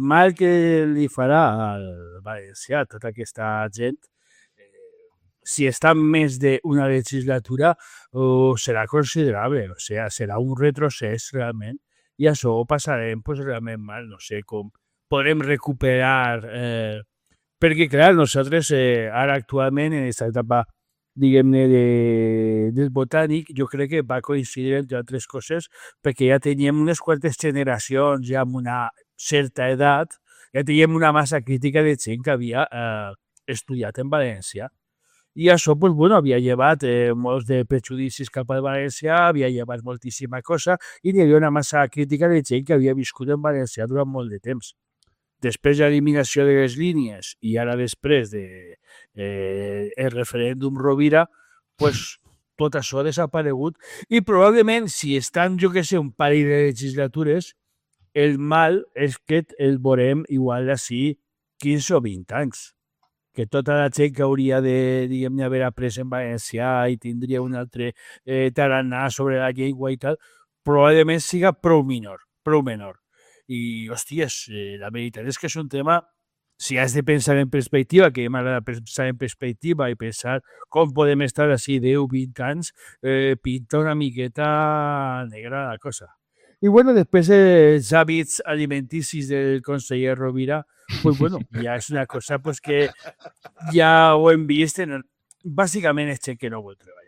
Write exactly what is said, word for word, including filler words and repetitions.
mal que li farà al valencià tota aquesta gent, si està més d'una legislatura, oh, serà considerable, o sigui, serà un retrocés realment, i això ho passarem pues, realment mal, no sé com podrem recuperar, eh, perquè clar, nosaltres eh, ara actualment en aquesta etapa diguem-ne de, del botànic, jo crec que va coincidir entre altres coses perquè ja teníem unes quantes generacions ja amb una certa edat, ja teníem una massa crítica de gent que havia eh, estudiat en València. I això, pues, bueno, havia llevat eh, molts de prejudicis cap al valencià, havia llevat moltíssima cosa, i hi havia una massa crítica de gent que havia viscut en valencià durant molt de temps. Després de l'eliminació de les línies i ara després de eh, el referèndum Rovira, pues, tot això ha desaparegut i probablement si estan, jo que sé, un parell de legislatures, el mal és que el veurem igual d'ací quinze o vint anys. Que tota la gent que hauria de, diguem-ne, haver après en valencià i tindria un altre eh, tarannà sobre la llengua i tal, probablement siga prou menor, prou menor. I, hòsties, eh, la veritat és que és un tema, si has de pensar en perspectiva, que m'agrada pensar en perspectiva i pensar com podem estar així deu o vint anys, eh, pinta una miqueta negra la cosa. I, bueno, després els hàbits alimenticis del conseller Rovira, pues, bueno, ja és una cosa pues, que ja ho hem vist, en, bàsicament és gent que no vol treballar.